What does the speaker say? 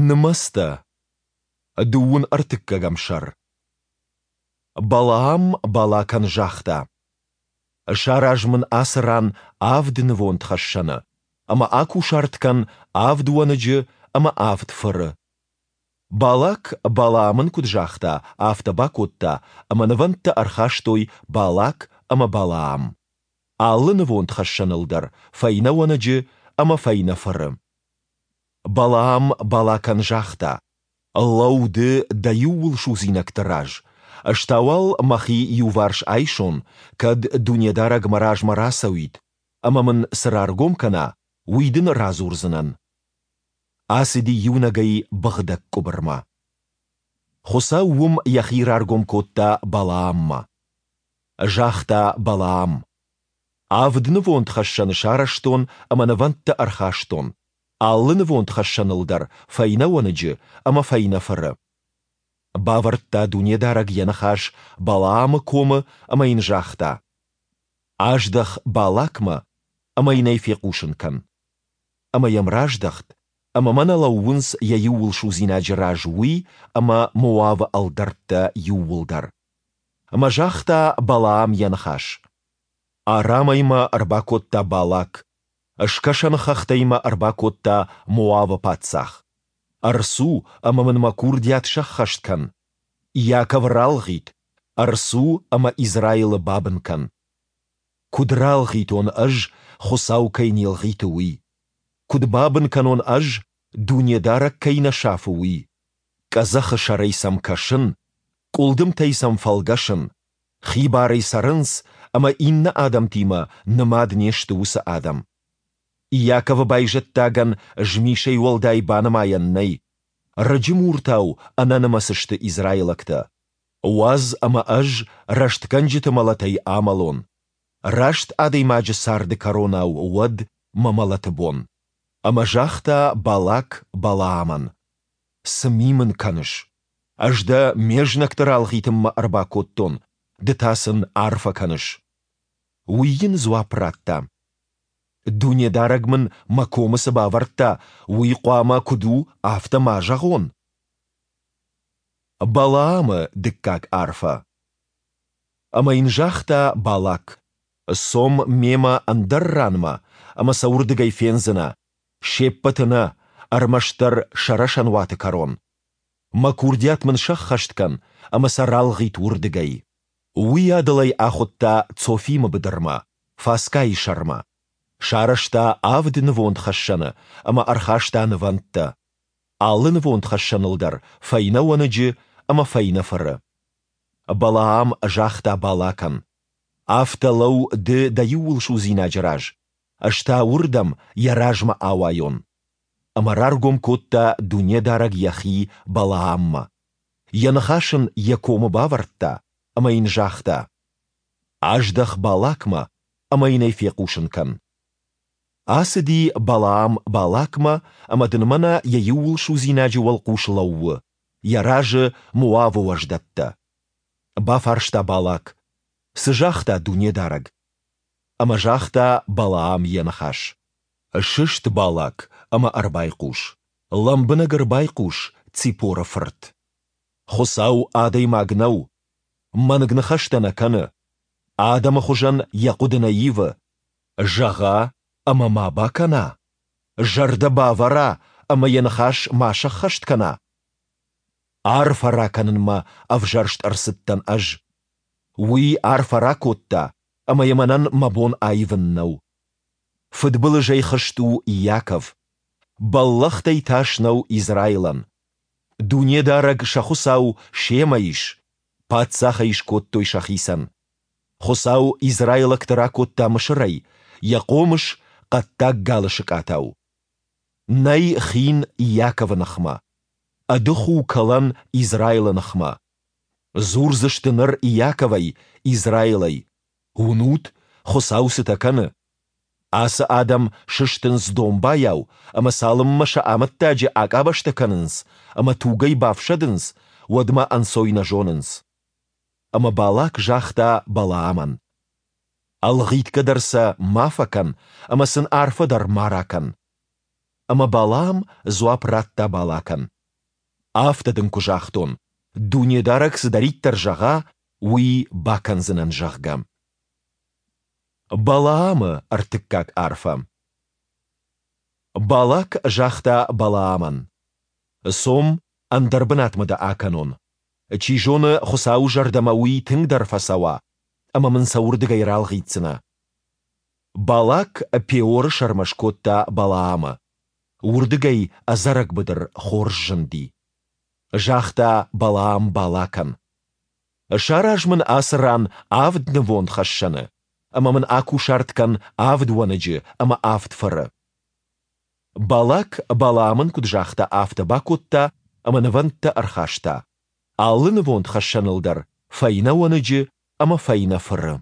Нымӕцтӕ. Дыууын ӕртыккӕгӕм сӕр. Балаам Балакӕн загъта: Сараз мын ацы ран авд нывондхӕссӕны ӕмӕ акусарт кӕн авд уӕныджы ӕмӕ авд фыры. Балак Балаам ын куыд загъта, афтӕ бакодта, ӕмӕ нывӕндтӕ ӕрхастой Балак ӕмӕ Балаам. Алы нывондхӕссӕныл дӕр фӕйнӕ уӕныджы ӕмӕ фӕйнӕ фыры. Балаам Балакӕн загъта: Лӕуу ды дӕ иууылсудзинӕгты раз, ӕз та уал мӕхи иуварс айсон, кӕд Дунедарӕг мӕ размӕ рацӕуид, ӕмӕ мын цы раргом кӕна, уый дын радзурдзынӕн. Ацыди иунӕгӕй быгъдӕг къуыбырмӕ. Хуыцау уым йӕхи раргом кодта Балааммӕ. Загъта Балаам: Авд нывондхӕссӕны сарӕзтон ӕмӕ нывӕндтӕ ӕрхастон, алы нывондхӕссӕныл дӕр фӕйнӕ уӕныджы ӕмӕ фӕйнӕ фыры. Бавӕрдта Дунедарӕг йӕ ныхас Балаамы комы ӕмӕ йын загъта: Аздӕх Балакмӕ ӕмӕ йын ӕй фехъусын кӕн. Ӕмӕ йӕм раздӕхт, ӕмӕ мӕнӕ лӕууынц йӕ иууылсудзинаджы раз уый ӕмӕ Моавы ӕлдӕрттӕ иууылдӕр. Ӕмӕ загъта Балаам йӕ ныхас: Арамӕй мӕ ӕрбакодта Балак, скӕсӕны хӕхтӕй мӕ ӕрбакодта Моавы паддзах. Ӕрцу ӕмӕ мын мӕ курдиат сӕххӕст кӕн. Иаковы ралгъит, ӕрцу ӕмӕ Израилы бабын кӕн. Куыд ралгъитон ӕз, Хуыцау кӕй не лгъиты, уый? Куыд бабын кӕнон ӕз, Дунедарӕг кӕй нӕ сафы, уый? Къӕдзӕхы сӕрӕй сӕм кӕсын, къуылдымтӕй сӕм фӕлгӕсын. Хибарӕй цӕрынц ӕмӕ иннӕ адӕмтимӕ нымад не сты уыцы адӕм. Иаковы байзӕддагӕн змисӕй уӕлдай банымайӕн нӕй. Рыджы муртау ӕнӕнымӕц сты израилӕгтӕ. Уадз ӕмӕ ӕз рӕстгӕнджыты мӕлӕтӕй амӕлон. Раст адӕймаджы царды кӕронау уӕд мӕ мӕлӕты бон. Ӕмӕ загъта Балак Балаамӕн: Цы ми мын кӕныс? Ӕз дӕ ме знӕгты ралгъитынмӕ ӕрбакодтон, ды та сын арфӕ кӕныс. Уый йын дзуапп радта: Дунедарӕг мын мӕ комы цы бавӕрдта, уый хъуамӕ, куыд у, афтӕ ма зӕгъон? Балаамы дыккаг арфӕ. Ӕмӕ йын загъта Балак: Цом мемӕ ӕндӕр ранмӕ, ӕмӕ сӕ уырдыгӕй фендзынӕ, се ппӕты нӕ, ӕрмӕстдӕр сӕ рӕсӕнуаты кӕрон. Мӕ курдиат мын сӕххӕст кӕн ӕмӕ сӕ ралгъит уырдыгӕй. Уыйадыл ӕй ахуыдта Цофимы быдырмӕ, Фаскайы сӕрмӕ. Сарӕзта авд нывондхӕссӕны ӕмӕ ӕрхаста нывӕндтӕ. Алы нывондхӕссӕныл дӕр фӕйнӕ уӕныджы ӕмӕ фӕйнӕ фыры. Балаам загъта Балакӕн: Афтӕ лӕуу ды дӕ иууылсудзинаджы раз, ӕз та уырдӕм йӕ размӕ ауайон. Ӕмӕ раргом кодта Дунедарӕг йӕхи Балааммӕ. Йӕ ныхас ын йӕ комы бавӕрдта ӕмӕ йын загъта: Аздӕх Балакмӕ ӕмӕ йын ӕй фехъусын кӕн. Ацыди Балаам Балакмӕ ӕмӕ дын мӕнӕ йӕ иууылсудзинаджы уӕлхъус лӕууы, йӕ разы Моавы уӕздӕттӕ. Бафарста Балак: Цы загъта Дунедарӕг? Ӕмӕ загъта Балаам йӕ ныхас. Сыст, Балак, ӕмӕ ӕрбайхъус. Лӕмбынӕг ӕрбайхъус, Ципоры фырт. Хуыцау адӕймаг нӕу, мӕнг ныхӕстӕ нӕ кӕны. Адӕмы хуызӕн йӕ хъуыды нӕ ивы. Зӕгъа ӕмӕ ма бакӕна? Зӕрдӕ бавӕра ӕмӕ йӕ ныхас ма сӕххӕст кӕна? Арфӕ ракӕнынмӕ ӕвзӕрст ӕрцыдтӕн ӕз. Уый арфӕ ракодта, ӕмӕ йӕ мӕнӕн мӕ бон аивын нӕу. Фыдбылызӕй хызт у Иаков. Бӕллӕхтӕй тас нӕу Израилӕн. Дунедарӕг сӕ Хуыцау семӕ ис, паддзах ӕй скодтой сӕхицӕн. Хуыцау израилӕгты ракодта Мысырӕй, йӕ хъомыс хъӕддаг галы сыкъатау. Нӕй хин Иаковы ныхмӕ. Ӕдых у кӕлӕн Израилы ныхмӕ. Дзурдзысты ныр Иаковӕй, Израилӕй. Уынут, Хуыцау цытӕ кӕны? Ацы адӕм сыстынц домбайау ӕмӕ цалынмӕ сӕ амӕттаджы акъабӕзтӕ кӕнынц ӕмӕ тугӕй бафсӕдынц, уӕдмӕ ӕнцой нӕ зонынц. Ӕмӕ Балак загъта Балаамӕн: Ӕлгъитгӕ дӕр сӕ ма фӕкӕн ӕмӕ сын арфӕ дӕр ма ракӕн. Ӕмӕ Балаам дзуапп радта Балакӕн, Афтӕ дын куы загътон, Дунедарӕг цыдӕриддӕр зӕгъа, уый бакӕндзынӕн, зӕгъгӕ. Балаамы ӕртыккаг арфӕ. Балак загъта Балаамӕн: Цом, ӕндӕр бынатмӕ дӕ акӕнон. Чи зоны, Хуыцауы зӕрдӕмӕ уый тынгдӕр фӕцӕуа, ӕмӕ мын сӕ уырдыгӕй ралгъитдзынӕ. Балак Пеоры сӕрмӕ скодта Балаамы. Уырдыгӕй ӕдзӕрӕг быдыр хорз зынди. Загъта Балаам Балакӕн: Сараз мын ацы ран авд нывондхӕссӕны, ӕмӕ мын акусарт кӕн авд уӕныджы ӕмӕ авд фыры. Балак Балаамӕн куыд загъта, афтӕ бакодта ӕмӕ нывӕндтӕ ӕрхаста, алы нывондхӕссӕныл дӕр фӕйнӕ уӕныджы ӕмӕ фӕйнӕ фыры.